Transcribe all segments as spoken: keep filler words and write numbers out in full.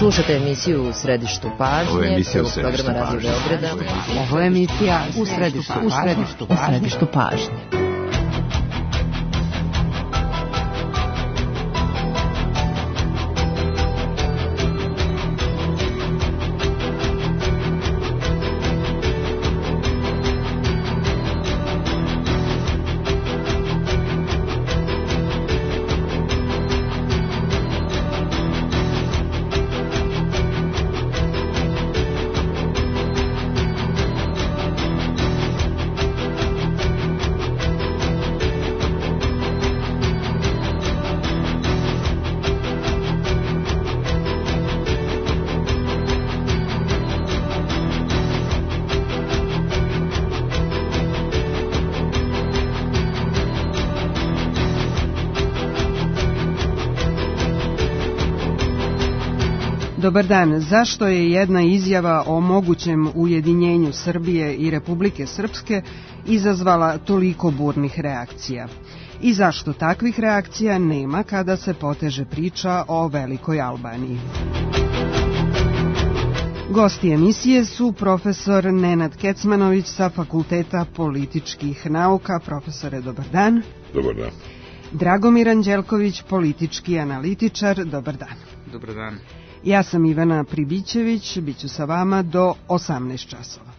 Slušate emisiju U središtu pažnje, prvog programa Radio Beograda. Ovo je emisija U središtu, u središtu, u središtu pažnje. Dobar dan. Zašto je jedna izjava o mogućem ujedinjenju Srbije i Republike Srpske izazvala toliko burnih reakcija? I zašto takvih reakcija nema kada se poteže priča o Velikoj Albaniji? Gosti emisije su profesor Nenad Kecmanović sa Fakulteta političkih nauka. Profesore, dobar dan. Dobar dan. Dragomir Anđelković, politički analitičar. Dobar dan. Dobar dan. Ja sam Ivana Pribićević, bit ću sa vama do osamnaest časova.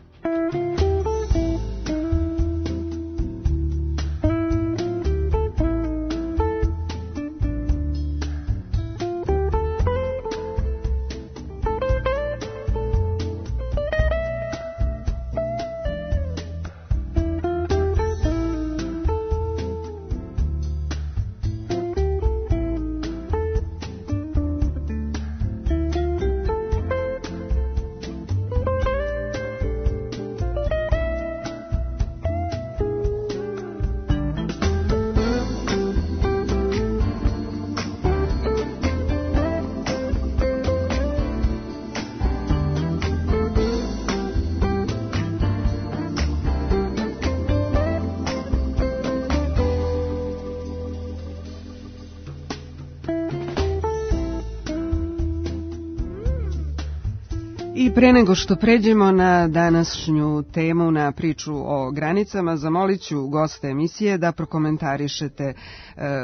I pre nego što pređemo na današnju temu, na priču o granicama, zamolit ću goste emisije da prokomentarišete e,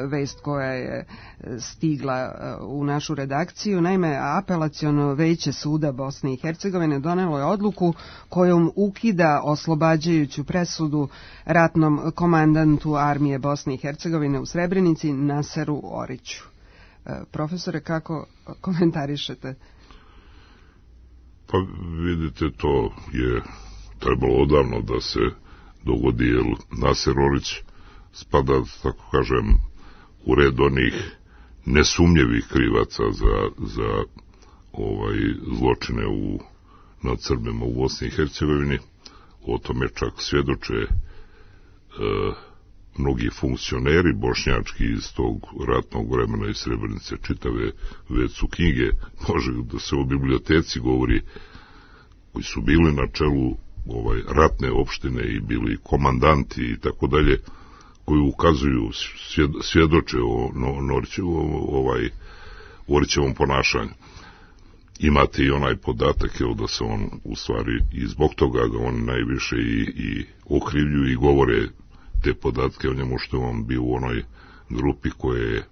vest koja je stigla e, u našu redakciju. Naime, Apelaciono veće suda Bosne i Hercegovine donelo je odluku kojom ukida oslobađajuću presudu ratnom komandantu armije Bosne i Hercegovine u Srebrenici Naseru Oriću. E, profesore, kako komentarišete? Pa vidite, to je trebalo odavno da se dogodi, jer Naser Orić spada, tako kažem, u red onih nesumnjivih krivaca za, za ovaj zločine u, nad Srbima u Bosni i Hercegovini. O tome čak svjedoče e, mnogi funkcioneri bošnjački iz tog ratnog vremena iz Srebrenice, čitave već su knjige, može da se o biblioteci govori, koji su bili na čelu ovaj ratne opštine i bili komandanti i tako dalje, koji ukazuju, svjedoče o Norićevom, ovaj, Orićevom ponašanju. Imate i onaj podatak, evo, da se on u stvari i zbog toga ga on najviše i, i okrivljuju i govore te podatke o njemu, što je on bio u onoj grupi koje je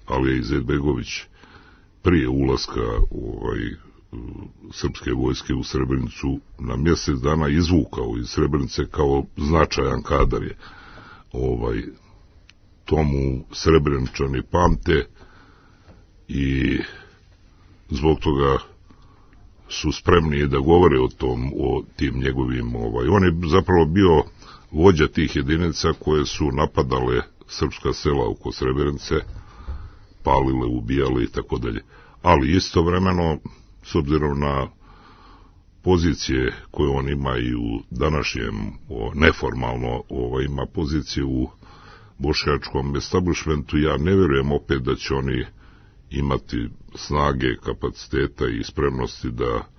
Alija Izetbegović prije ulaska ovaj, srpske vojske u Srebrenicu na mjesec dana izvukao iz Srebrenice kao značajan kadar je. Ovaj, tomu Srebreničani pamte i zbog toga su spremni da govore o tom, o tim njegovim, ovaj, on je zapravo bio vođa tih jedinica koje su napadale srpska sela oko Srebrenice, palile, ubijale i tako dalje. Ali istovremeno, s obzirom na pozicije koje on ima i u današnjem, o, neformalno ovaj, ima pozicije u bošnjačkom establishmentu, ja ne vjerujem opet da će oni imati snage, kapaciteta i spremnosti da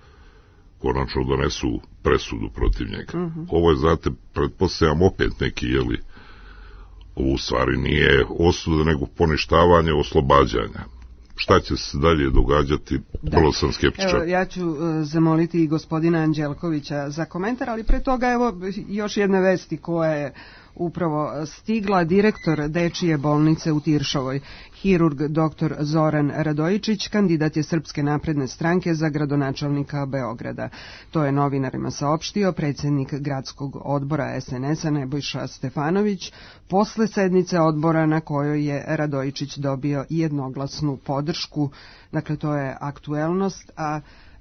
konačno donesu presudu protiv njega. Uh-huh. Ovo je, znate, pretpostavljam opet neki, jeli, ovo u stvari nije osuda, nego poništavanje oslobađanja. šta će se dalje događati, da. Vrlo sam skeptičan. Evo, ja ću uh, zamoliti i gospodina Anđelkovića za komentar, ali pre toga evo još jedne vesti koja je upravo stigla. Direktor Dečije bolnice u Tiršovoj, hirurg doktor Zoran Radojičić, kandidat je Srpske napredne stranke za gradonačelnika Beograda. To je novinarima saopštio predsjednik gradskog odbora es en es a Nebojša Stefanović posle sednice odbora na kojoj je Radojičić dobio jednoglasnu podršku. Dakle, to je aktuelnost, a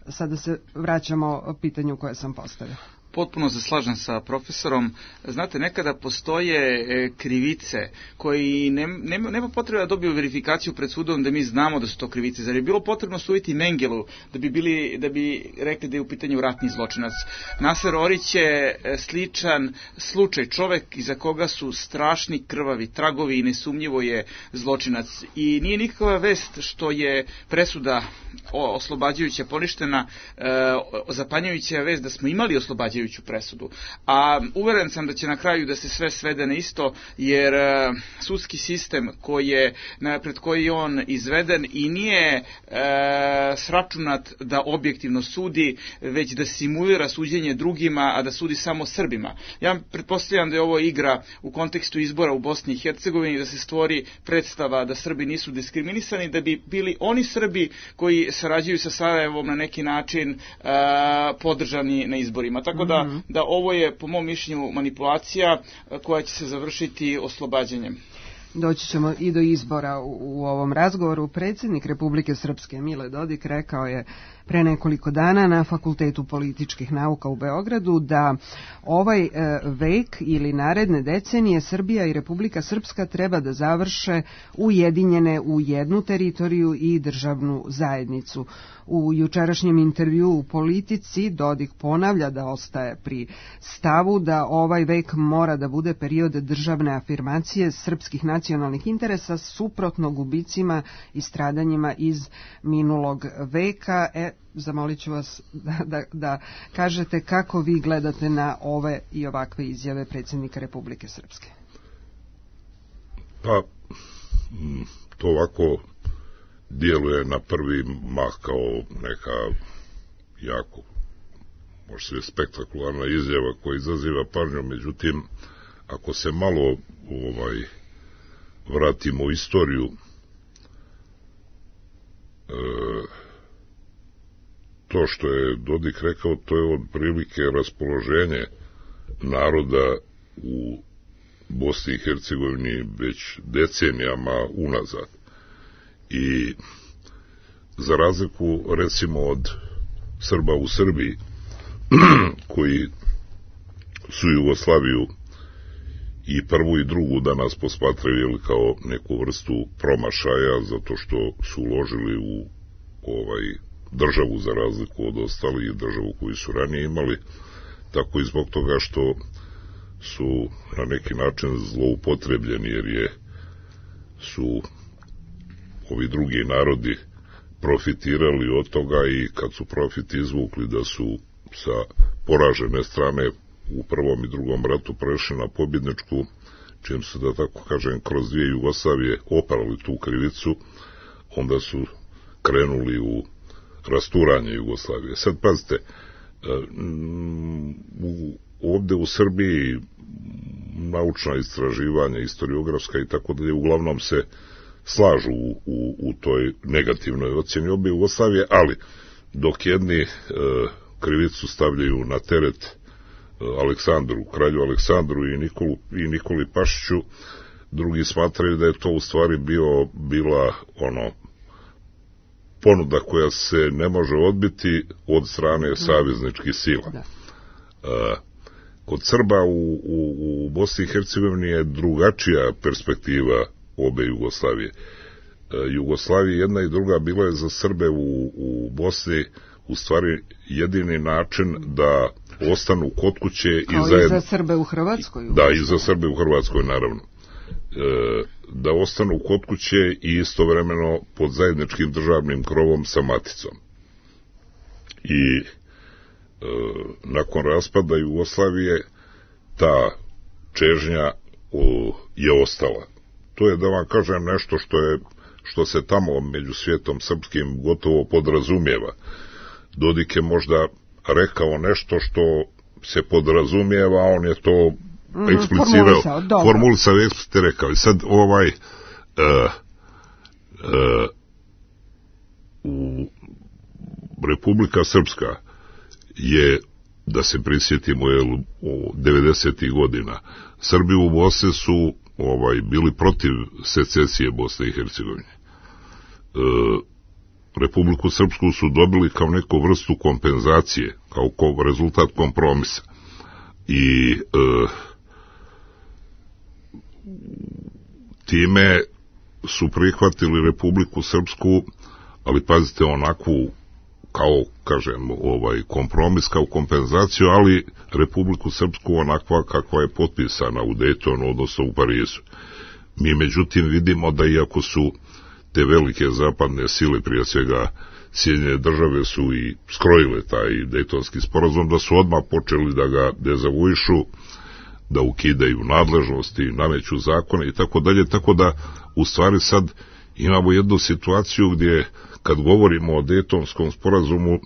sada se vraćamo pitanju koje sam postavila. Potpuno se slažem sa profesorom. Znate, nekada postoje krivice koji nema, nema potrebe da dobiju verifikaciju pred sudom da mi znamo da su to krivice. Zar je bilo potrebno suditi Mengelu da bi, bili, da bi rekli da je u pitanju ratni zločinac? Naser Orić je sličan slučaj, čovek iza koga su strašni krvavi tragovi i nesumnjivo je zločinac. I nije nikakva vest što je presuda oslobađajuća poništena, zapanjujuća vest da smo imali oslobađajuću presudu. A uveren sam da će na kraju da se sve svede na isto, jer uh, sudski sistem koji je, na, pred koji je on izveden i nije uh, sračunat da objektivno sudi, već da simulira suđenje drugima, a da sudi samo Srbima. Ja pretpostavljam da je ovo igra u kontekstu izbora u Bosni i Hercegovini, da se stvori predstava da Srbi nisu diskriminisani, da bi bili oni Srbi koji sarađuju sa Sarajevom na neki način uh, podržani na izborima. Tako da Da, da ovo je, po mom mišljenju, manipulacija koja će se završiti oslobađanjem. Doći ćemo i do izbora u, u ovom razgovoru. Predsjednik Republike Srpske Mile Dodik rekao je pre nekoliko dana na Fakultetu političkih nauka u Beogradu da ovaj e, vek ili naredne decenije Srbija i Republika Srpska treba da završe ujedinjene u jednu teritoriju i državnu zajednicu. U jučerašnjem intervju u Politici Dodik ponavlja da ostaje pri stavu da ovaj vek mora da bude period državne afirmacije srpskih nacionalnih interesa suprotno gubicima i stradanjima iz minulog veka. E, zamolit ću vas da, da, da kažete kako vi gledate na ove i ovakve izjave predsjednika Republike Srpske. Pa, to ovako djeluje na prvi mah kao neka jako, možda se spektakularna izjava koja izaziva pažnju, međutim, ako se malo ovaj, vratimo u istoriju, e, to što je Dodik rekao, to je otprilike raspoloženje naroda u Bosni i Hercegovini već decenijama unazad. I za razliku recimo od Srba u Srbiji koji su Jugoslaviju i prvu i drugu danas posmatraju kao neku vrstu promašaja zato što su uložili u ovaj državu za razliku od ostalih državu koju su ranije imali, tako i zbog toga što su na neki način zloupotrebljeni, jer je su ovi drugi narodi profitirali od toga i kad su profit izvukli da su sa poražene strane u prvom i drugom ratu prešli na pobjedničku, čim su, da tako kažem, kroz dvije Jugoslavije oprali tu krivicu, onda su krenuli u rasturanje Jugoslavije. Sad pazite, u, ovdje u Srbiji naučna istraživanja, historiografska i tako dalje, uglavnom se slažu u, u, u toj negativnoj ocjeni obe Jugoslavije, ali dok jedni e, krivicu stavljaju na teret e, Aleksandru, kralju Aleksandru i, Nikolu, i Nikoli Pašiću, drugi smatraju da je to u stvari bio, bila ono ponuda koja se ne može odbiti od strane savezničkih sila. E, kod Srba u, u, u Bosni i Hercegovini je drugačija perspektiva obe Jugoslavije. E, Jugoslavija jedna i druga bila je za Srbe u, u Bosni u stvari jedini način da ostanu kod kuće i kao zajedno... i za Srbe u Hrvatskoj. Da, i za Srbe u Hrvatskoj, naravno. E, da ostanu kod kuće i istovremeno pod zajedničkim državnim krovom sa maticom. I e, nakon raspada Jugoslavije ta čežnja o, je ostala. To je, da vam kažem, nešto što je što se tamo među svijetom srpskim gotovo podrazumijeva. Dodik je možda rekao nešto što se podrazumijeva, a on je to mm, eksplicirao, formulisao, eksplicite rekao. I sad ovaj uh, uh, u Republika Srpska je, da se prisjetimo, je u devedesetih godina Srbi u Bosni su ovaj bili protiv secesije Bosne i Hercegovine. Uh, Republiku Srpsku su dobili kao neku vrstu kompenzacije, kao rezultat kompromisa. I e, time su prihvatili Republiku Srpsku, ali pazite, onakvu, kao, kažem, ovaj kompromis, kao kompenzaciju, ali Republiku Srpsku onakva kakva je potpisana u Daytonu, odnosno u Parizu. Mi, međutim, vidimo da iako su te velike zapadne sile, prije svega Sjedinjene države, su i skrojile taj Dejtonski sporazum, da su odmah počeli da ga dezavuišu, da ukidaju nadležnosti, nameću zakone i tako dalje, tako da u stvari sad imamo jednu situaciju gdje kad govorimo o Dejtonskom sporazumu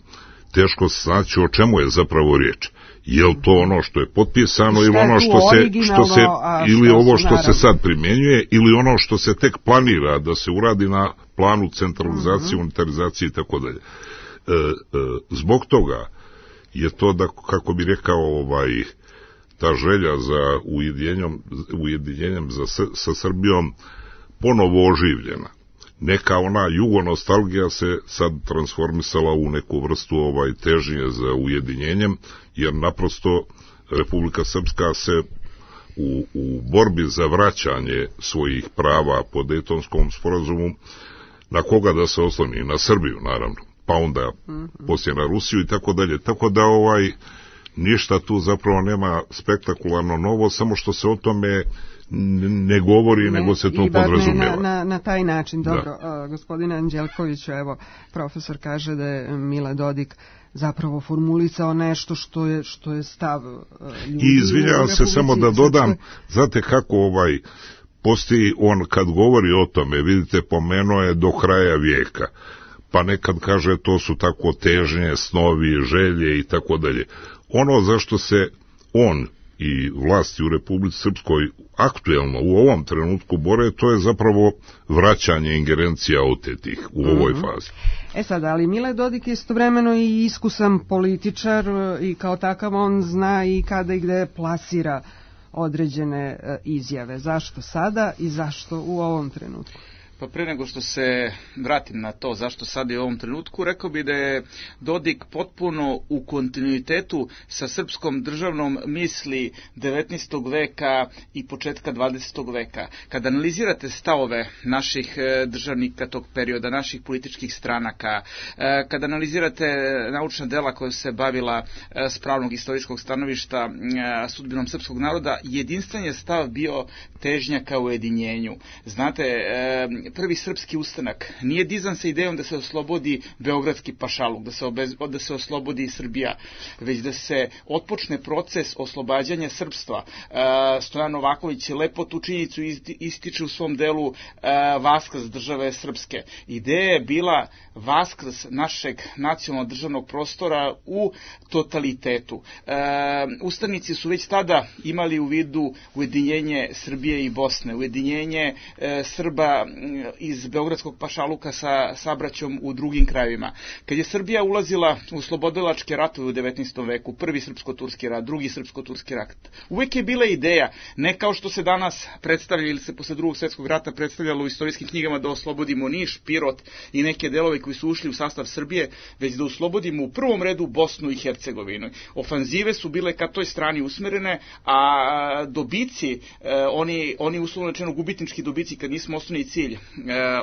teško se znači o čemu je zapravo riječ. Je li to ono što je potpisano ili ono što se, što se ili ovo što se sad primjenjuje ili ono što se tek planira da se uradi na planu centralizacije, uh-huh. unitarizacije i tako dalje. Zbog toga je to da, kako bi rekao, ovaj, ta želja za ujedinjenjem, ujedinjenjem za, sa Srbijom ponovo oživljena. Neka ona jugonostalgija se sad transformisala u neku vrstu ovaj težnje za ujedinjenjem, jer naprosto Republika Srpska se u, u borbi za vraćanje svojih prava po Dejtonskom sporazumu, na koga da se osloni? Na Srbiju, naravno, pa onda mm-hmm. poslije na Rusiju i tako dalje. Tako da ovaj ništa tu zapravo nema spektakularno novo, samo što se o tome ne govori, ne, nego se to podrazumijeva. Na, na, na taj način, dobro. Uh, gospodine Anđelkoviću, evo, profesor kaže da je Mile Dodik zapravo formulisao nešto što je, što je stav uh, ljudi. I izvinjavam se samo da dodam, znate kako ovaj postoji, on kad govori o tome, vidite, pomenuo je do kraja vijeka, pa nekad kaže to su tako težnje, snovi, želje i tako dalje. Ono zašto se on i vlasti u Republici Srpskoj aktuelno u ovom trenutku bore, to je zapravo vraćanje ingerencija otetih u ovoj mm-hmm. fazi. E sad, ali Mile Dodik je istovremeno i iskusan političar i kao takav on zna i kada i gde plasira određene izjave. Zašto sada i zašto u ovom trenutku? Pa pre nego što se vratim na to zašto sad i u ovom trenutku, rekao bi da je Dodik potpuno u kontinuitetu sa srpskom državnom misli devetnaestog veka i početka dvadesetog veka. Kada analizirate stavove naših državnika tog perioda, naših političkih stranaka, kada analizirate naučna dela koja se bavila s pravnog istorijskog stanovišta sudbinom srpskog naroda, jedinstven je stav bio težnja ka ujedinjenju. Znate, prvi srpski ustanak nije dizan sa idejom da se oslobodi beogradski pašaluk, da se, obez, da se oslobodi Srbija, već da se otpočne proces oslobađanja srpstva. Stojan Novaković lepo tu činjenicu ističe u svom delu vaskrs države srpske. Ideja je bila vaskrs našeg nacionalnog državnog prostora u totalitetu. Ustanici su već tada imali u vidu ujedinjenje Srbije i Bosne, ujedinjenje Srba iz beogradskog pašaluka sa sabraćom u drugim krajevima. Kad je Srbija ulazila u slobodilačke ratove u devetnaestom veku, prvi srpsko-turski rat, drugi srpsko-turski rat, uvek je bila ideja, ne kao što se danas predstavlja ili se posle drugog svjetskog rata predstavljalo u istorijskim knjigama da oslobodimo Niš, Pirot i neke delove koji su ušli u sastav Srbije, već da oslobodimo u prvom redu Bosnu i Hercegovinu. Ofanzive su bile ka toj strani usmerene, a dobici, oni, oni uslovno rečeno gubitnički dobici, kad nismo osnovni cilj e,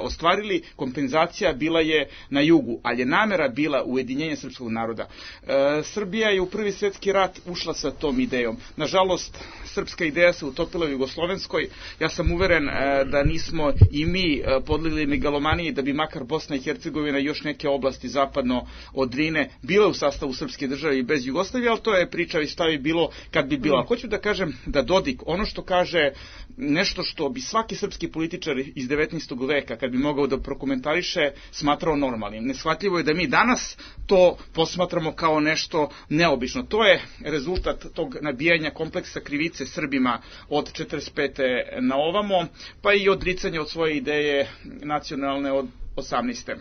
ostvarili, kompenzacija bila je na jugu, ali je namera bila ujedinjenje srpskog naroda. E, Srbija je u prvi svjetski rat ušla sa tom idejom. Nažalost, srpska ideja se utopila u Jugoslovenskoj. Ja sam uveren e, da nismo i mi e, podlegli megalomaniji da bi makar Bosna i Hercegovina i još neke oblasti zapadno od Drine bile u sastavu srpske države i bez Jugoslavije, ali to je priča i stavi bilo kad bi bilo. Hoću da kažem da Dodik, ono što kaže, nešto što bi svaki srpski političar iz devetnaestog devetnaestog veka, kad bi mogao da prokomentariše, smatrao normalnim. Neshvatljivo je da mi danas to posmatramo kao nešto neobično. To je rezultat tog nabijanja kompleksa krivice Srbima od četrdeset pete na ovamo, pa i odricanja od svoje ideje nacionalne od osamnaeste.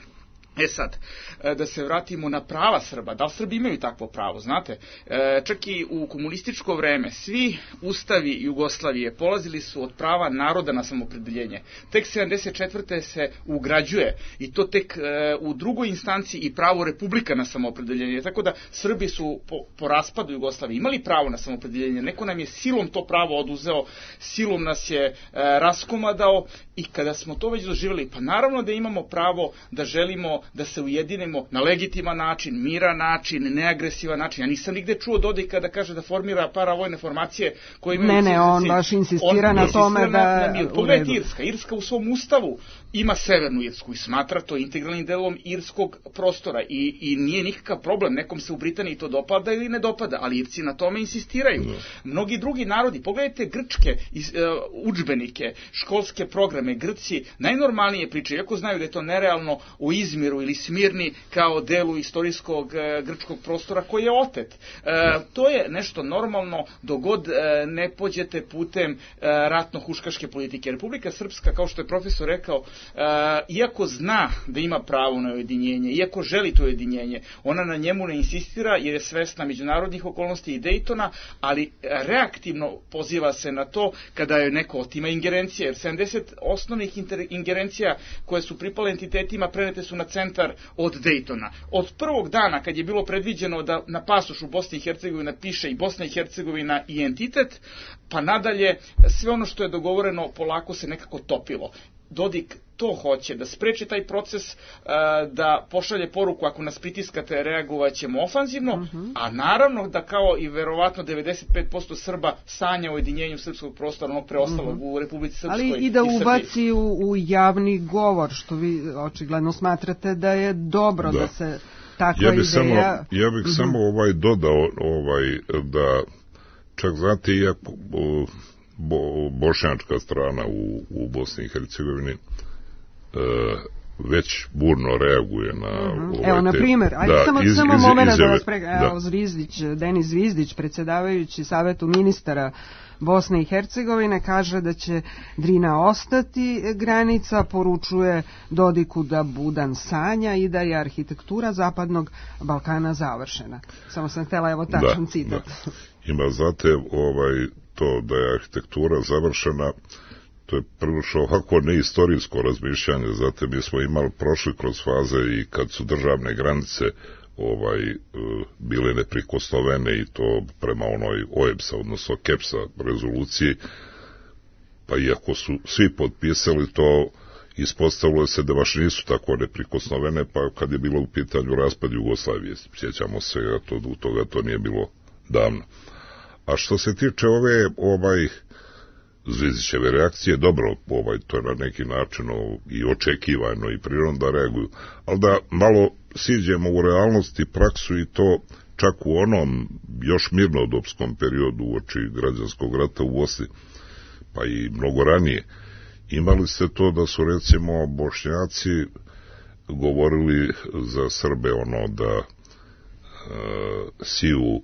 E sad, da se vratimo na prava Srba. Da li Srbi imaju takvo pravo, znate? Čak i u komunističko vreme svi ustavi Jugoslavije polazili su od prava naroda na samopredeljenje. Tek sedamdeset četvrte se ugrađuje i to tek u drugoj instanciji i pravo republika na samopredeljenje. Tako da Srbi su po, po raspadu Jugoslavije imali pravo na samopredeljenje. Neko nam je silom to pravo oduzeo, silom nas je raskomadao i kada smo to već doživjeli, pa naravno da imamo pravo da želimo da se ujedinimo na legitiman način, miran način, neagresivan način. Ja nisam nigde čuo Dodika da kaže da formira paravojne formacije koje imaju... Ne, ne, on baš insistira on, na tome da... Na, na Pogledajte Irska. Irska u svom ustavu ima Severnu Irsku i smatra to integralnim delom irskog prostora i, i nije nikakav problem. Nekom se u Britaniji to dopada ili ne dopada, ali Irci na tome insistiraju. No. Mnogi drugi narodi, pogledajte grčke iz, uh, udžbenike, školske programe, Grci najnormalnije pričaju, iako znaju da je to nerealno, o Izmiru ili Smirni kao delu istorijskog e, grčkog prostora koji je otet. E, to je nešto normalno dogod e, ne pođete putem e, ratno-huškaške politike. Republika Srpska, kao što je profesor rekao, e, iako zna da ima pravo na ujedinjenje, iako želi to ujedinjenje, ona na njemu ne insistira jer je svesna međunarodnih okolnosti i Dejtona, ali reaktivno poziva se na to kada je neko otima ingerencije, jer sedamdeset osnovnih ingerencija koje su pripale entitetima prenete su na centar od Dejtona. Od prvog dana kad je bilo predviđeno da na pasošu Bosne i Hercegovina piše i Bosna i Hercegovina i entitet, pa nadalje sve ono što je dogovoreno polako se nekako topilo. Dodik to hoće, da spreči taj proces, da pošalje poruku ako nas pritiskate reagovat ćemo ofanzivno, uh-huh. a naravno da kao i verovatno devedeset pet posto Srba sanja o ujedinjenju srpskog prostora, onog preostalog uh-huh. u Republici Srpskoj. Ali i da i ubaci u, u javni govor, što vi očigledno smatrate da je dobro da, da se takva ja bih ideja... Samo, ja bih uh-huh. samo ovaj dodao ovaj, da čak znate iako bo, bošnjačka strana u, u Bosni i Hercegovini e, već burno reaguje na uh-huh. ovaj Evo, na primjer, ajde da, samo, iz, samo iz, moment iz, da vas prega, evo, Zvizdić, Denis Zvizdić, predsjedavajući Savetu ministara Bosne i Hercegovine, kaže da će Drina ostati granica, poručuje Dodiku da budan sanja i da je arhitektura Zapadnog Balkana završena. Samo sam htjela, evo, tačan da, citat. Da. Ima, znate, ovaj, to da je arhitektura završena, to je prilično ovako neistorijsko razmišljanje, zato mi smo imali prošli kroz faze i kad su državne granice ovaj bile neprikosnovene i to prema onoj O E B S-a, odnosno K E P S-a rezoluciji, pa iako su svi potpisali to, ispostavilo se da baš nisu tako neprikosnovene, pa kad je bilo u pitanju raspad Jugoslavije, sjećamo se, to, u toga to nije bilo davno. A što se tiče ove ovaj Zvizdićeve reakcije, dobro, ovaj, to je na neki način o, i očekivano i prirodno da reaguju, ali da malo siđemo u realnost i praksu i to čak u onom još mirnodopskom periodu uoči građanskog rata u Bosni, pa i mnogo ranije, imali ste to da su recimo Bošnjaci govorili za Srbe ono da e, siju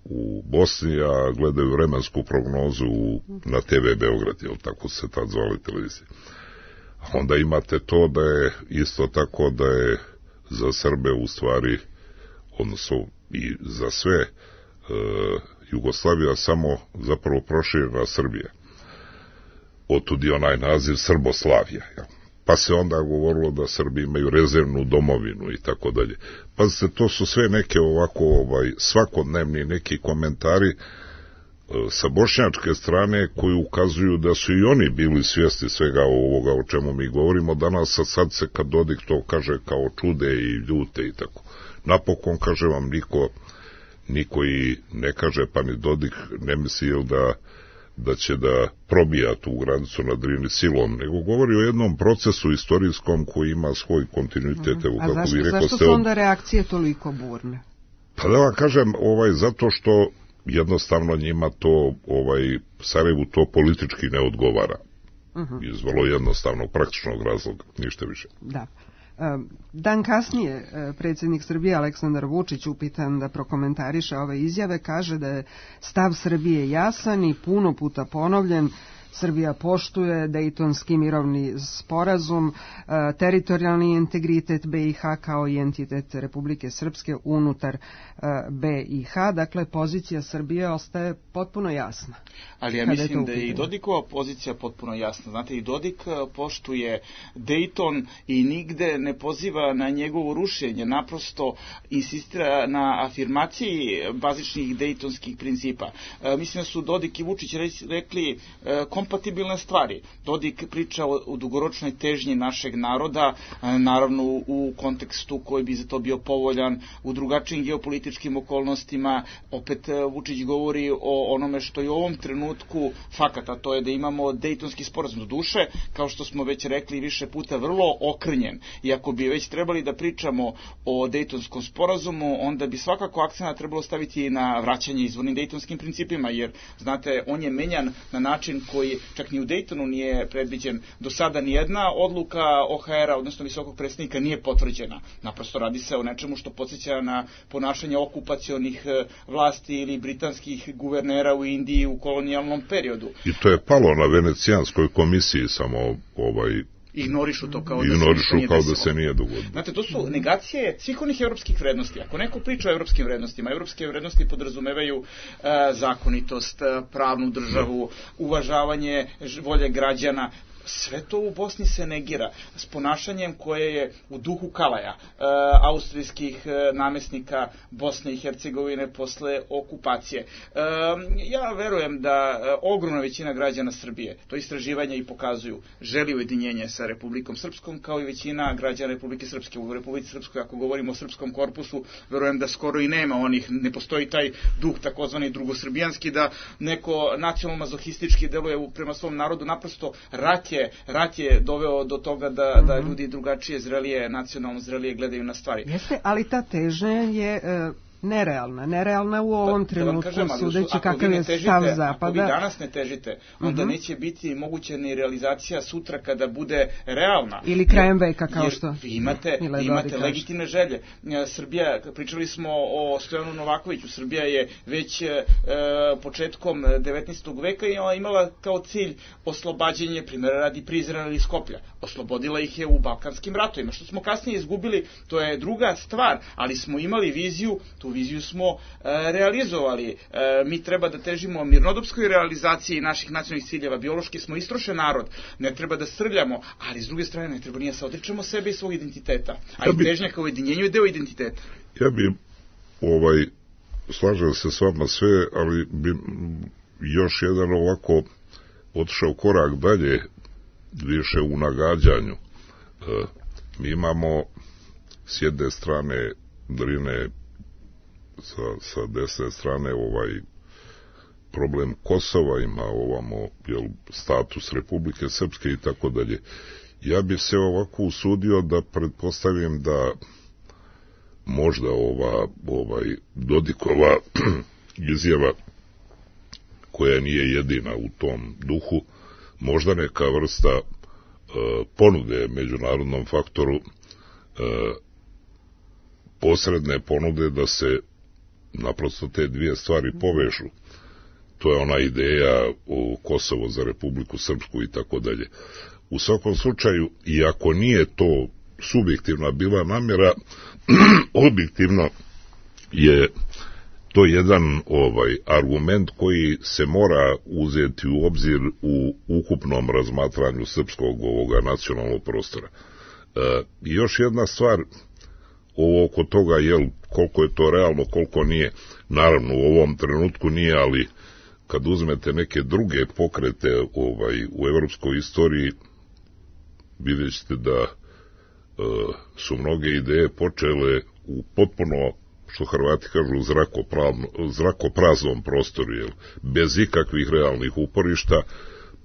u Bosni, a gledaju vremensku prognozu u, na T V Beograd, jel tako se tad zvali televizije. Onda imate to da je isto tako da je za Srbe u stvari, odnosno i za sve e, Jugoslavija samo zapravo proširena Srbija. Otud je onaj naziv Srboslavija, jel? Pa se onda govorilo da Srbi imaju rezervnu domovinu i tako dalje. Pa se to su sve neke ovako ovaj, svakodnevni neki komentari e, sa bošnjačke strane koji ukazuju da su i oni bili svjesni svega ovoga o čemu mi govorimo danas, a sad se kad Dodik to kaže kao čude i ljute i tako. Napokon, kaže vam, niko, niko i ne kaže, pa ni Dodik ne misli jel da da će da probija tu granicu na Drini silom, nego govori o jednom procesu istorijskom koji ima svoj kontinuitet. Evo, a kako zašto, bi rekao, zašto su onda reakcije toliko burne? Pa da vam kažem, ovaj, zato što jednostavno njima to, ovaj, Sarajevu to politički ne odgovara. Uh-huh. Iz vrlo jednostavnog, praktičnog razloga, ništa više. Da. Dan kasnije predsjednik Srbije Aleksandar Vučić, upitan da prokomentariše ove izjave, kaže da je stav Srbije jasan i puno puta ponovljen. Srbija poštuje Dejtonski mirovni sporazum, teritorijalni integritet B i H kao i entitet Republike Srpske unutar B i H. Dakle, pozicija Srbije ostaje potpuno jasna. Ali ja mislim je da je i Dodikova pozicija potpuno jasna. Znate, i Dodik poštuje Dejton i nigde ne poziva na njegovo rušenje. Naprosto insistira na afirmaciji bazičnih dejtonskih principa. E, mislim da su Dodik i Vučić rekli e, kompatibilne stvari. Dodik priča o, o dugoročnoj težnji našeg naroda, e, naravno u kontekstu koji bi za to bio povoljan, u drugačijim geopolitičkim okolnostima. Opet e, Vučić govori o onome što je u ovom trenutku fakat, a to je da imamo Dejtonski sporazum. Do duše, kao što smo već rekli više puta, vrlo okrnjen. I ako bi već trebali da pričamo o Dejtonskom sporazumu, onda bi svakako akcent trebalo staviti na vraćanje izvornim dejtonskim principima, jer, znate, on je menjan na način koji čak ni u Dejtonu nije predviđen. Do sada nijedna odluka O H R-a, odnosno visokog predstavnika, nije potvrđena. Naprosto radi se o nečemu što podsjeća na ponašanje okupacionih vlasti ili britanskih guvernera u Indiji u kolonijalnom periodu. I to je palo na Venecijanskoj komisiji, samo ovaj... ignorišu to kao, ignorišu da, se kao da se nije dogodilo. Znate, to su negacije svih onih evropskih vrednosti. Ako neko priča o evropskim vrednostima, evropske vrednosti podrazumevaju uh, zakonitost, pravnu državu, uvažavanje volje građana. Sve to u Bosni se negira s ponašanjem koje je u duhu Kalaja, e, austrijskih e, namesnika Bosne i Hercegovine posle okupacije. E, ja verujem da e, ogromna većina građana Srbije, to istraživanja i pokazuju, želi ujedinjenje sa Republikom Srpskom, kao i većina građana Republike Srpske. U Republici Srpskoj, ako govorimo o srpskom korpusu, verujem da skoro i nema onih, ne postoji taj duh takozvani drugosrbijanski, da neko nacionalno-mazohistički deluje prema svom narodu. Naprosto rat je, rat je doveo do toga da, mm-hmm. da ljudi drugačije, zrelije, nacionalno zrelije gledaju na stvari. Jeste, ali ta težnja je... Uh... nerealna, nerealna u ovom pa, trenutku, kažem, sudeći kakav je težite, stav Zapada. Ako vi danas ne težite, onda uh-huh. neće biti moguća ni realizacija sutra kada bude realna. Ili krajem veka, kao što. Vi imate, vi imate legitimne želje. Srbija, pričali smo o Stojanu Novakoviću, Srbija je već e, početkom devetnaestog veka imala kao cilj oslobađanje, primjera radi Prizrena ili Skoplja. Oslobodila ih je u Balkanskim ratovima. Što smo kasnije izgubili, to je druga stvar, ali smo imali viziju, tu viziju smo e, realizovali. E, mi treba da težimo mirnodopskoj realizaciji naših nacionalnih ciljeva. Biološki smo istrošen narod, ne treba da srljamo, ali s druge strane ne treba nije se odričemo sebe i svog identiteta. A ja i težnja kao ujedinjenju je deo identiteta. Ja bi, ovaj, slažem se s vama sve, ali bi još jedan ovako otišao korak dalje, više u nagađanju. E, mi imamo s jedne strane Drine, sa, sa desne strane ovaj problem Kosova, ima ovamo jel, status Republike Srpske i tako dalje. Ja bih se ovako usudio da pretpostavim da možda ova ovaj Dodikova izjava, koja nije jedina u tom duhu, možda neka vrsta e, ponude međunarodnom faktoru, e, posredne ponude da se naprosto te dvije stvari povežu. To je ona ideja o Kosovo za Republiku Srpsku i tako dalje. U svakom slučaju, iako nije to subjektivna bila namjera, objektivno je to jedan ovaj argument koji se mora uzeti u obzir u ukupnom razmatranju srpskog ovoga nacionalnog prostora. E, I još jedna stvar, ovo oko toga, jel, koliko je to realno, koliko nije, naravno u ovom trenutku nije, ali kad uzmete neke druge pokrete ovaj, u evropskoj istoriji, vidjet ćete da e, su mnoge ideje počele u potpuno, što Hrvati kažu, zrakopraznom prostoru, jel, bez ikakvih realnih uporišta,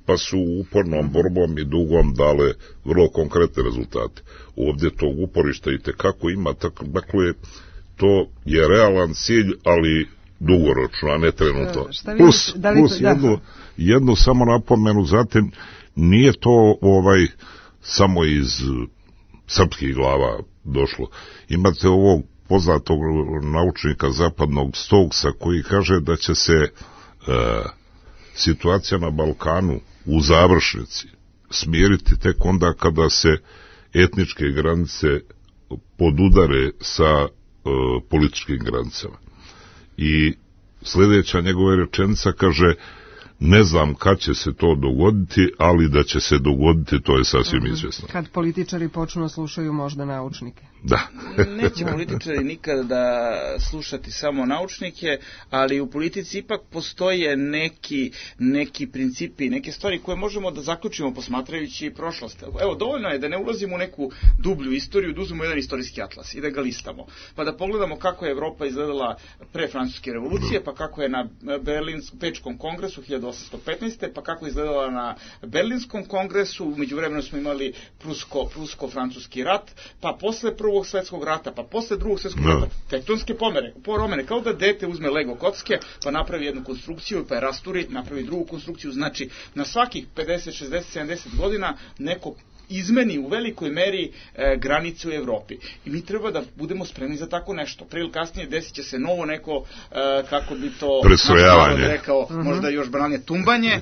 pa su upornom borbom i dugom dale vrlo konkretne rezultate. Ovdje tog uporišta i tekako ima, tako, dakle, to je realan cilj, ali dugoročno, a ne trenutno. Šta plus da li plus to, jednu, da. jednu samo napomenu, zatim nije to ovaj samo iz srpskih glava došlo. Imate ovog poznatog naučnika zapadnog Stokesa koji kaže da će se e, situacija na Balkanu u završnici smiriti tek onda kada se etničke granice podudare sa e, političkim granicama. I sljedeća njegova rečenica kaže: ne znam kad će se to dogoditi, ali da će se dogoditi, to je sasvim uh-huh. izvjesno. Kad političari počnu slušaju možda naučnike. Da. Neće političari nikada da slušati samo naučnike, ali u politici ipak postoje neki, neki principi, neke stvari koje možemo da zaključimo posmatrajući prošlost. Evo, dovoljno je da ne ulazimo u neku dublju istoriju, da uzmemo jedan istorijski atlas i da ga listamo. Pa da pogledamo kako je Evropa izgledala pre Francuske revolucije, pa kako je na Berlinskom Pečkom kongresu hiljadu osamsto petnaeste. pa kako je izgledala na Berlinskom kongresu, u međuvremenu smo imali Prusko, Prusko-francuski rat, pa posle Prvog svjetskog rata, pa posle Drugog svjetskog no. rata, tektonske pomere, poromene, kao da dete uzme Lego kocke, pa napravi jednu konstrukciju, pa je rasturi, napravi drugu konstrukciju, znači na svakih pedeset, šezdeset, sedamdeset godina neko izmeni u velikoj meri e, granicu u Evropi. I mi treba da budemo spremni za tako nešto. Prije ili kasnije desit će se novo neko, e, kako bi to rekao, uh-huh. možda još branije tumbanje. E,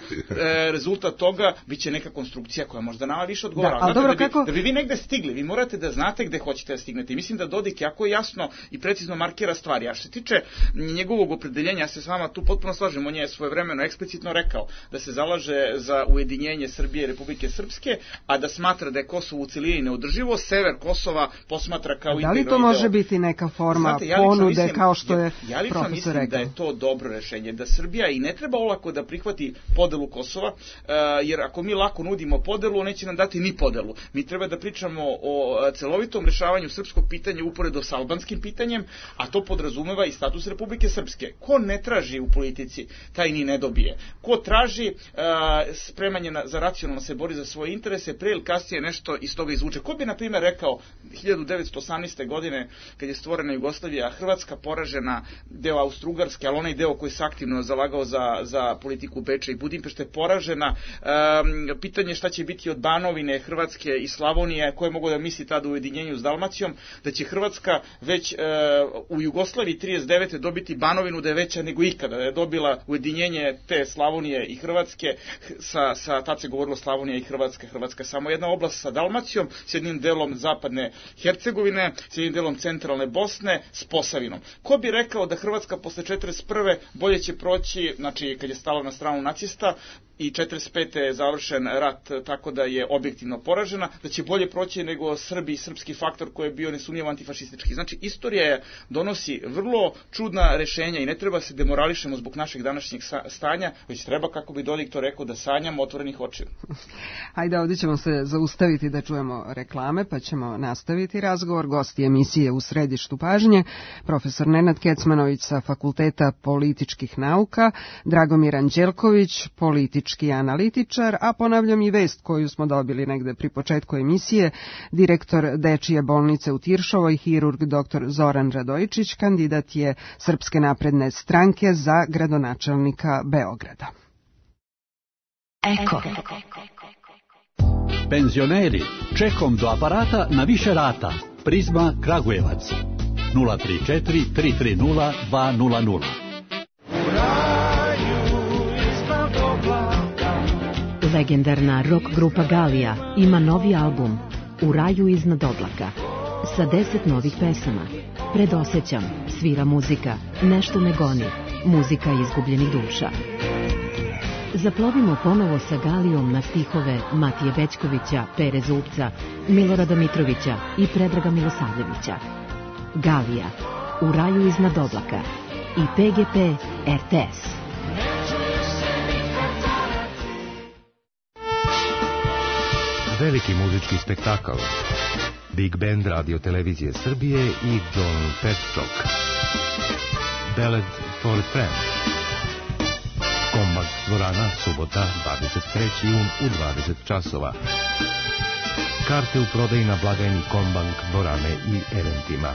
rezultat toga bit će neka konstrukcija koja možda nama više odgovara. Da, dobro, da, bi, kako... da bi vi negde stigli, vi morate da znate gde hoćete da stignete. I mislim da Dodik jako jasno i precizno markira stvari. A što se tiče njegovog opredeljenja, ja se s vama tu potpuno slažem. On je svojevremeno eksplicitno rekao da se zalaže za ujedinjenje Srbije i Republike Srpske, a da smatra da je Kosovo u celini neodrživo, sever Kosova posmatra kao integralni deo. Da li to može deo... biti neka forma Znate, ja ponude mislim, kao što je ja, ja profesor mislim rekao? Da je to dobro rešenje, da Srbija i ne treba olako da prihvati podelu Kosova, uh, jer ako mi lako nudimo podelu, on neće nam dati ni podelu. Mi treba da pričamo o celovitom rešavanju srpskog pitanja uporedo s albanskim pitanjem, a to podrazumeva i status Republike Srpske. Ko ne traži u politici, taj ni ne dobije. Ko traži uh, spremanje na, za racionalno se bori za svoje interese, pre ili kasnije nešto iz toga izvuče. Ko bi, na primjer, rekao hiljadu devetsto osamnaeste. godine, kad je stvorena Jugoslavija, Hrvatska poražena, deo Austro-Ugarske, ali onaj deo koji se aktivno zalagao za, za politiku Beča i Budimpešte, poražena. Um, pitanje šta će biti od Banovine, Hrvatske i Slavonije, koje mogu da misli tada u ujedinjenju s Dalmacijom, da će Hrvatska već uh, u Jugoslaviji trideset devete dobiti Banovinu da je veća nego ikada, da je dobila ujedinjenje te Slavonije i Hrvatske, sa, sa tad se govorilo Slavonija i Hrvatska, Hrvatska samo jedna oblast sa Dalmacijom, s jednim delom zapadne Hercegovine, s jednim delom centralne Bosne, s Posavinom. Ko bi rekao da Hrvatska posle četrdeset prve bolje će proći, znači kad je stala na stranu nacista, i četrdeset pete je završen rat tako da je objektivno poražena, da će bolje proći nego Srbi i srpski faktor koji je bio nesumnjivo antifašistički. Znači, istorija donosi vrlo čudna rešenja i ne treba se demorališemo zbog našeg današnjeg stanja, već treba, kako bi Dodik to rekao, da sanjamo otvorenih očiju. Ajde, ovdje ćemo se zaustaviti da čujemo reklame, pa ćemo nastaviti razgovor. Gosti emisije U središtu pažnje, profesor Nenad Kecmanović sa Fakulteta političkih nauka, Dragomir Anđelković, politički analitičar, a ponavljam i vest koju smo dobili negde pri početku emisije, direktor Dečije bolnice u Tiršovoj, hirurg doktor Zoran Radojičić, kandidat je Srpske napredne stranke za gradonačelnika Beograda. Eko. Penzioneri, čekom do aparata na više rata. Prizma Kragujevac. nula tri četiri tri tri nula dva nula nula. Legendarna rock grupa Galija ima novi album U raju iznad oblaka sa deset novih pesama. Predosećam, svira muzika, nešto me goni, muzika izgubljenih duša. Zaplovimo ponovo sa Galijom na stihove Matije Bećkovića, Pere Zubca, Milorada Mitrovića i Predraga Milosavljevića. Galija, U raju iznad oblaka i P G P R T S. Veliki muzički spektakl. Big Band Radio Televizije Srbije i John Petchok. Ballad for a Friend. Kombak dvorana, subota, dvadeset treći jun u dvadeset časova. Karte u prodaji na blagajni Kombank dvorane i eventima.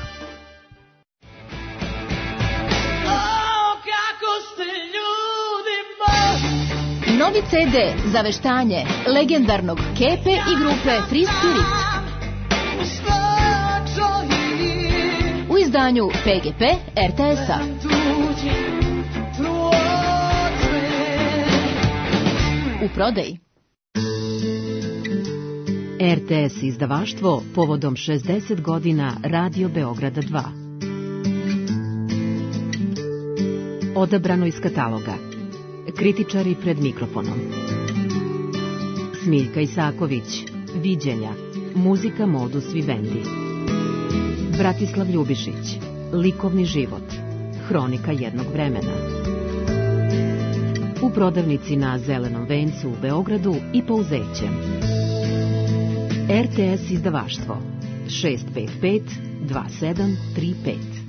Novi ce de za veštanje legendarnog Kepe i grupe Free Spirit. U izdanju pe ge pe er te es-a. U prodaji. er te es izdavaštvo povodom šezdeset godina Radio Beograda dva. Odabrano iz kataloga. Kritičari pred mikrofonom. Smiljka Isaković, Viđenja, muzika Modus Vivendi. Bratislav Ljubišić, Likovni život, hronika jednog vremena. U prodavnici na Zelenom vencu u Beogradu i Pouzećem. er te es izdavaštvo šest pet pet dva sedam tri pet.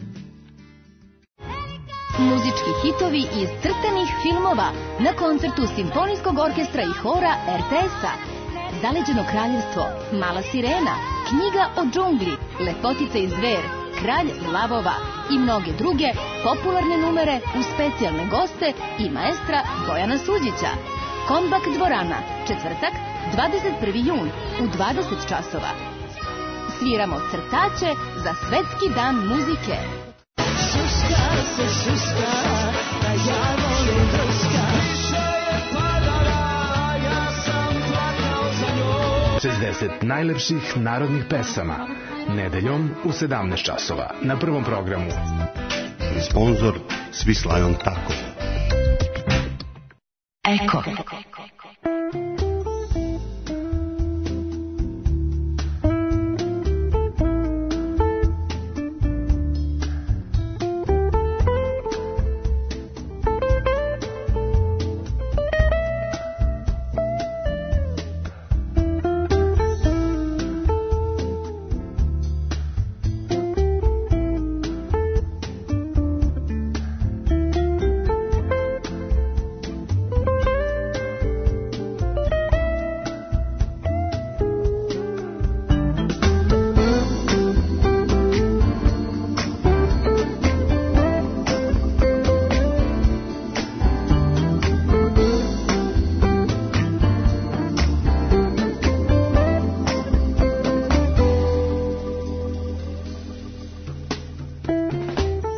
Muzički hitovi iz crtanih filmova na koncertu Simfonijskog orkestra i hora er te es-a. Zaleđeno kraljevstvo, Mala sirena, Knjiga o džungli, Lepotica i zver, Kralj lavova i mnoge druge popularne numere uz specijalne goste i maestra Bojana Suđića. Kombak dvorana, četvrtak, dvadeset prvi jun u dvadeset časova. Sviramo crtače za Svetski dan muzike. Šuška se šuška, da ja volim druška. Više je padala, ja sam plakao za njom. šezdeset najlepših narodnih pesama. Nedeljom u sedamnaest časova na Prvom programu. Sponzor Svislajon Tako. Eko.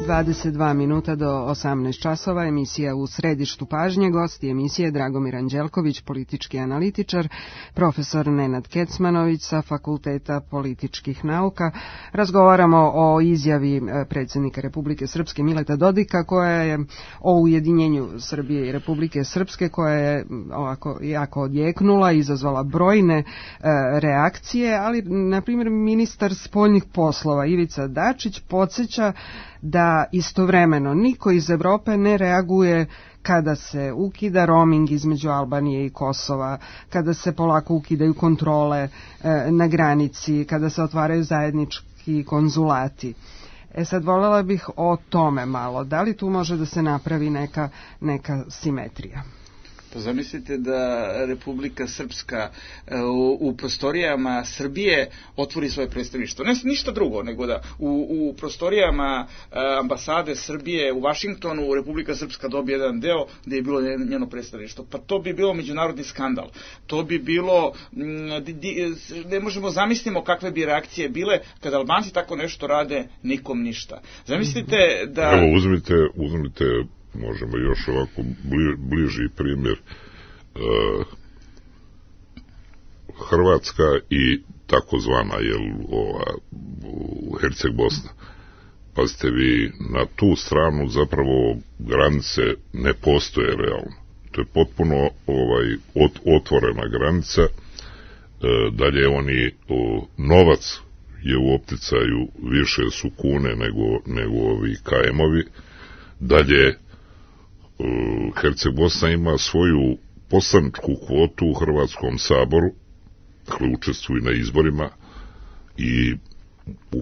dvadeset dva minuta do osamnaest časova, emisija U središtu pažnje, gosti emisije Dragomir Anđelković, politički analitičar, profesor Nenad Kecmanović sa Fakulteta političkih nauka. Razgovaramo o izjavi predsjednika Republike Srpske Mileta Dodika koja je o ujedinjenju Srbije i Republike Srpske, koja je ovako jako odjeknula, izazvala brojne e, reakcije, ali na primjer ministar spoljnih poslova Ivica Dačić podsjeća da istovremeno niko iz Evrope ne reaguje kada se ukida roaming između Albanije i Kosova, kada se polako ukidaju kontrole e, na granici, kada se otvaraju zajednički konzulati. E sad voljela bih o tome malo. Da li tu može da se napravi neka, neka simetrija? Pa zamislite da Republika Srpska u, u prostorijama Srbije otvori svoje predstavništvo. Ne ništa drugo, nego da u, u prostorijama ambasade Srbije u Vašingtonu Republika Srpska dobije jedan deo gdje je bilo njeno predstavništvo. Pa to bi bilo međunarodni skandal. To bi bilo, ne možemo zamislimo kakve bi reakcije bile kada Albanci tako nešto rade, nikom ništa. Zamislite da... Evo uzmite, uzmite možemo još ovako bli, bliži primjer. E, Hrvatska i takozvana jel, ova, Herceg Bosna. Pazite vi, na tu stranu zapravo granice ne postoje realno. To je potpuno ovaj, ot, otvorena granica. E, dalje oni, o, novac je u opticaju, više su kune nego, nego ovi ka emovi. Dalje, Herceg Bosna ima svoju poslaničku kvotu u Hrvatskom saboru, dakle učestvuju na izborima, i,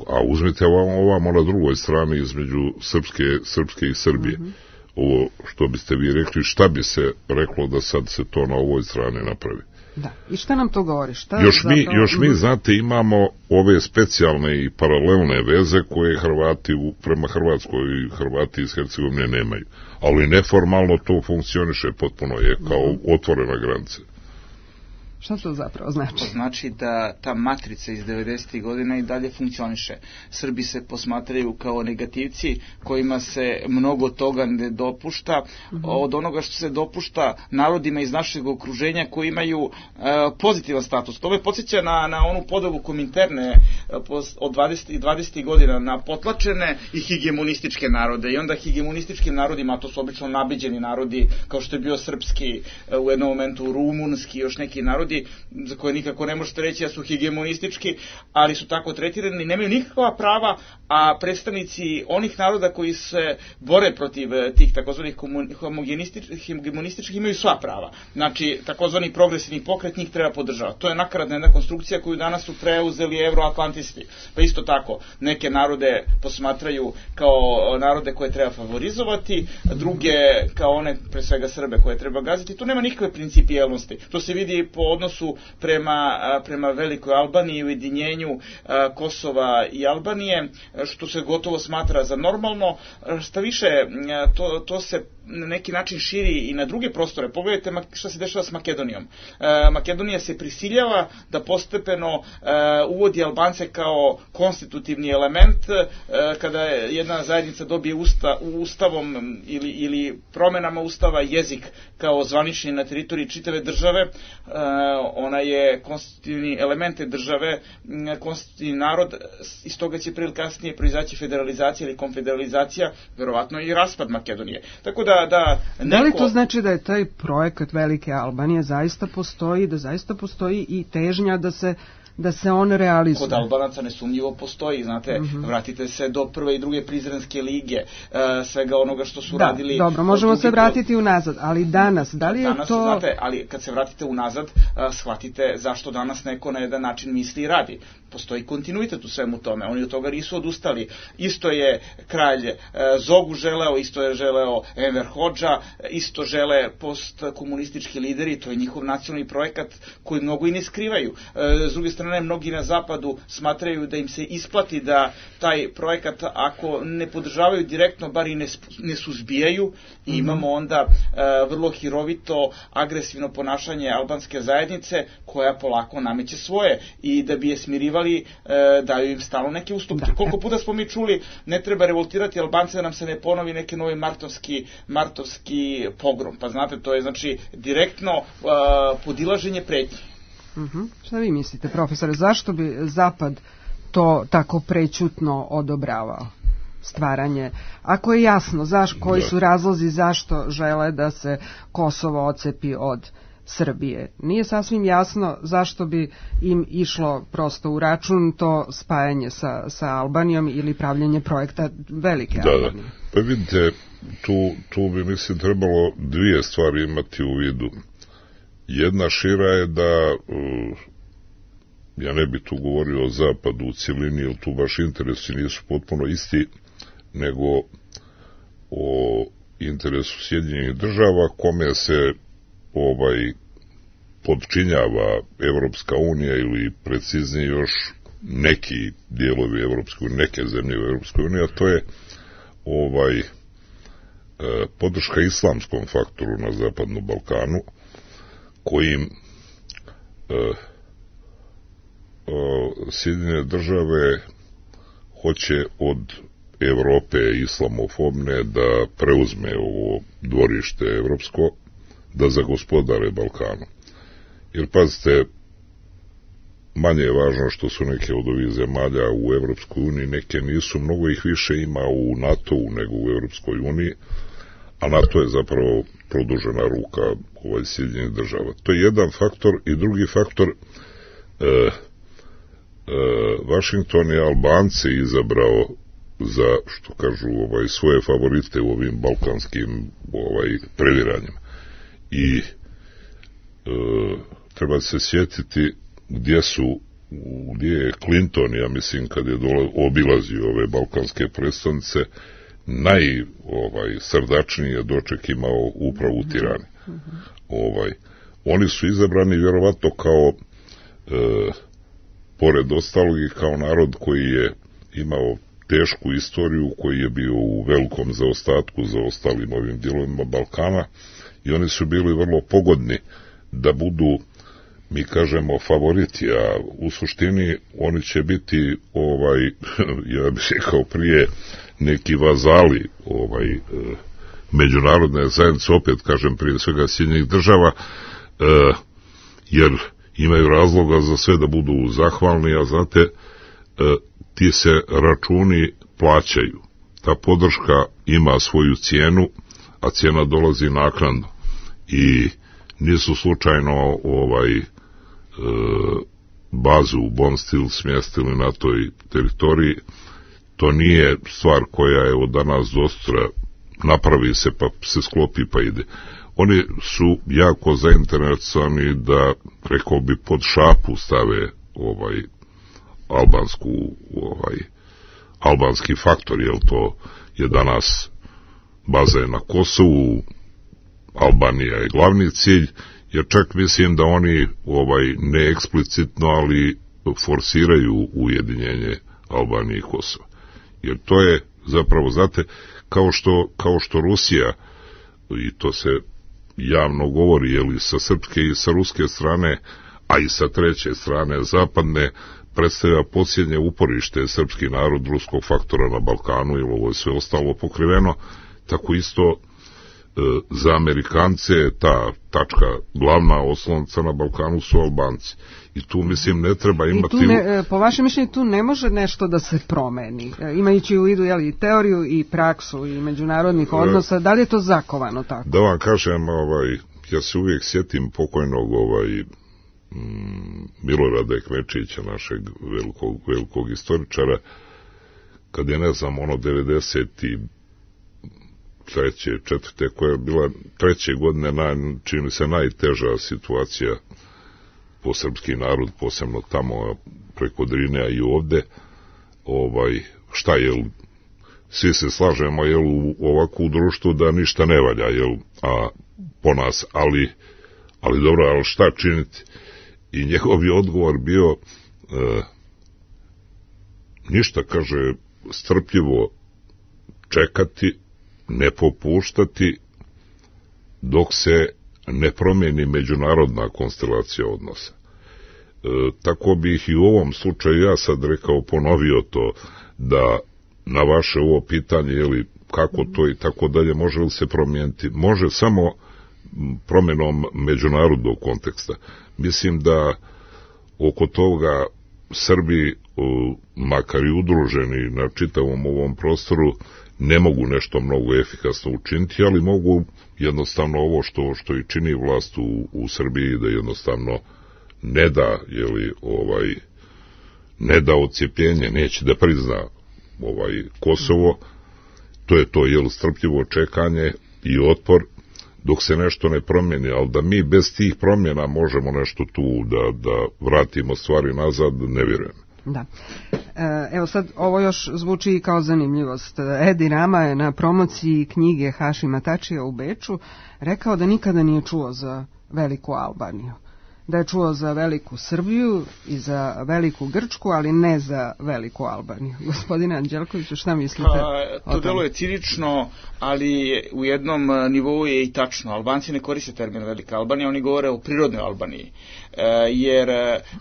a uzmite ovamo, ovamo na drugoj strani između Srpske, Srpske i Srbije. Mm-hmm. Ovo što biste vi rekli, šta bi se reklo da sad se to na ovoj strani napravi? Da. I šta nam to govori? Šta još, mi, zapravo... još mi, znate, imamo ove specijalne i paralelne veze koje Hrvati u, prema Hrvatskoj i Hrvati iz Hercegovine nemaju. Ali neformalno to funkcioniše, potpuno je kao otvorena granica. Šta to zapravo znači? To znači da ta matrica iz devedesetih godina i dalje funkcioniše. Srbi se posmatraju kao negativci kojima se mnogo toga ne dopušta mm-hmm. od onoga što se dopušta narodima iz našeg okruženja koji imaju e, pozitivan status. To me podsjeća na, na onu podelu Kominterne e, od dvadesetih godina na potlačene i hegemonističke narode. I onda hegemonističkim narodima, to su obično nabeđeni narodi, kao što je bio srpski, e, u jednom momentu rumunski, još neki narodi za koje nikako ne možete reći da su hegemonistički, ali su tako tretirani, nemaju nikakva prava, a predstavnici onih naroda koji se bore protiv tih takozvanih hegemonističkih imaju sva prava. Znači, takozvani progresivni pokret njih treba podržavati. To je nakaradna jedna konstrukcija koju danas su preuzeli euroatlantisti. Pa isto tako, neke narode posmatraju kao narode koje treba favorizovati, druge kao one, pre svega Srbe, koje treba gaziti. Tu nema nikakve principijelnosti. To se vidi po odnosu prema, prema Velikoj Albaniji, ujedinjenju Kosova i Albanije, što se gotovo smatra za normalno. Šta više, to, to se na neki način širi i na druge prostore. Pogledajte šta se dešava s Makedonijom. Makedonija se prisiljava da postepeno uvodi Albance kao konstitutivni element. Kada jedna zajednica dobije usta, ustavom ili, ili promenama ustava jezik kao zvanični na teritoriji čitave države, ona je konstitutivni element države, konstitutivni narod, iz toga će prije kasnije proizaći federalizacija ili konfederalizacija, verovatno i raspad Makedonije. Tako da, da, neko... da li to znači da je taj projekat Velike Albanije zaista postoji, da zaista postoji i težnja da se da se on realizuje? Kod Albanaca nesumnjivo postoji, znate, mm-hmm. vratite se do prve i druge Prizrenske lige, uh, svega onoga što su da, radili... Dobro, možemo se vratiti unazad, ali danas, da li je danas, to... Znate, ali kad se vratite unazad, uh, shvatite zašto danas neko na jedan način misli i radi. Postoji kontinuitet u svemu tome, oni od toga nisu odustali. Isto je kralj uh, Zogu želeo, isto je želeo Enver Hodža, isto žele postkomunistički lideri, to je njihov nacionalni projekat koji mnogo i ne skrivaju. Uh, s druge strane, mnogi na zapadu smatraju da im se isplati da taj projekat, ako ne podržavaju direktno, bar i ne, ne suzbijaju, i mm-hmm. imamo onda e, vrlo hirovito, agresivno ponašanje albanske zajednice, koja polako nameće svoje, i da bi je smirivali, e, daju im stalno neke ustupke. Da. Koliko puta smo mi čuli, ne treba revoltirati Albance da nam se ne ponovi neki novi martovski, martovski pogrom. Pa znate, to je znači direktno e, podilaženje pretnje. Uh-huh. Šta vi mislite, profesore, zašto bi Zapad to tako prećutno odobravao, stvaranje, ako je jasno zaš, koji su razlozi zašto žele da se Kosovo ocepi od Srbije? Nije sasvim jasno zašto bi im išlo prosto u račun to spajanje sa, sa Albanijom ili pravljenje projekta Velike da, Albanije. Da. Pa vidite, tu, tu bi mislim trebalo dvije stvari imati u vidu. Jedna šira je da, uh, ja ne bi tu govorio o zapadu u cjelini, jer tu baš interesi nisu potpuno isti, nego o interesu Sjedinjenih država, kome se ovaj podčinjava Evropska unija, ili preciznije još neki dijelovi Evropske unije, neke zemlje u Evropskoj uniji, a to je ovaj uh, podrška islamskom faktoru na Zapadnom Balkanu, kojim uh, uh, Sjedinjene države hoće od Evrope islamofobne da preuzme ovo dvorište evropsko, da zagospodare Balkanu. Jer pazite, manje je važno što su neke od ovih zemalja u Evropskoj uniji, neke nisu, mnogo ih više ima u NATO-u nego u Evropskoj uniji, a NATO je zapravo produžena ruka ovaj Sjedinjenih država. To je jedan faktor, i drugi faktor, e, e, Vašington je Albance izabrao za, što kažu, ovaj, svoje favorite u ovim balkanskim ovaj, previranjima. I e, treba se sjetiti gdje su, gdje je Clinton, ja mislim, kad je dole obilazio ove balkanske predstavnice, naj ovaj srdačnije doček imao upravo u Tirani. Uh-huh. Ovaj oni su izabrani vjerovatno kao e, pored ostalog i kao narod koji je imao tešku istoriju, koji je bio u velikom zaostatku za ostalim ovim dijelovima Balkana, i oni su bili vrlo pogodni da budu, mi kažemo, favoriti, a u suštini oni će biti, ovaj, ja bih rekao prije, neki vazali ovaj, međunarodne zajednice, opet kažem prije svega Sjedinjenih država, e, jer imaju razloga za sve da budu zahvalni, a znate, e, ti se računi plaćaju. Ta podrška ima svoju cijenu, a cijena dolazi naknadno. I nisu slučajno ovaj e, bazu u Bonstil smjestili na toj teritoriji. To nije stvar koja je od danas do sutra napravi se pa se sklopi pa ide. Oni su jako zainteresovani da, rekao bi, pod šapu stave ovaj albansku, ovaj albanski faktor, jer to je danas baza na Kosovu, Albanija je glavni cilj, jer čak mislim da oni ovaj ne eksplicitno, ali forsiraju ujedinjenje Albanije i Kosova. Jer to je zapravo, znate, kao što, kao što Rusija, i to se javno govori, jeli, sa srpske i sa ruske strane, a i sa treće strane zapadne, predstavlja posljednje uporište srpski narod ruskog faktora na Balkanu, jer ovo je sve ostalo pokriveno, tako isto za Amerikance ta tačka, glavna oslonca na Balkanu su Albanci. I tu, mislim, ne treba imati... I tu ne, po vašem mišljenju, tu ne može nešto da se promeni, imajući u vidu, jeli, i teoriju i praksu i međunarodnih odnosa, da li je to zakovano tako? Da vam kažem, ovaj, ja se uvijek sjetim pokojnog ovaj, mm, Milorada Ekmečića, našeg velikog, velikog istoričara, kad je, ne znam, ono devedeset treće, četvrte, koja je bila treće godine, naj, čini se najteža situacija po srpski narod, posebno tamo preko Drine, a i ovde, ovaj, šta je, svi se slažemo, jel, u ovakvu društvu da ništa ne valja, jel, a po nas, ali, ali dobro, ali šta činiti? I njegov je odgovor bio, e, ništa, kaže, strpljivo čekati, ne popuštati dok se ne promijeni međunarodna konstelacija odnosa. E, tako bih i u ovom slučaju ja sad rekao, ponovio to, da na vaše ovo pitanje, jeli, kako to i tako dalje, može li se promijeniti? Može samo promjenom međunarodnog konteksta. Mislim da oko toga Srbi, makar i udruženi na čitavom ovom prostoru, ne mogu nešto mnogo efikasno učiniti, ali mogu jednostavno ovo što što i čini vlast u, u Srbiji, da jednostavno ne da, jeli, ovaj, ne da odcijepljenje, neće da prizna ovaj Kosovo, to je to, jel, strpljivo čekanje i otpor dok se nešto ne promijeni, ali da mi bez tih promjena možemo nešto tu da, da vratimo stvari nazad, ne vjerujem. Da. Evo sad, ovo još zvuči kao zanimljivost. Edi Rama je na promociji knjige Hašima Tačija u Beču rekao da nikada nije čuo za Veliku Albaniju. Da je čuo za Veliku Srbiju i za Veliku Grčku, ali ne za Veliku Albaniju. Gospodine Anđelkoviću, šta mislite? A, to delo je cinično, ali u jednom nivou je i tačno. Albanci ne koriste termin Velika Albanija, oni govore o prirodnoj Albaniji. E, jer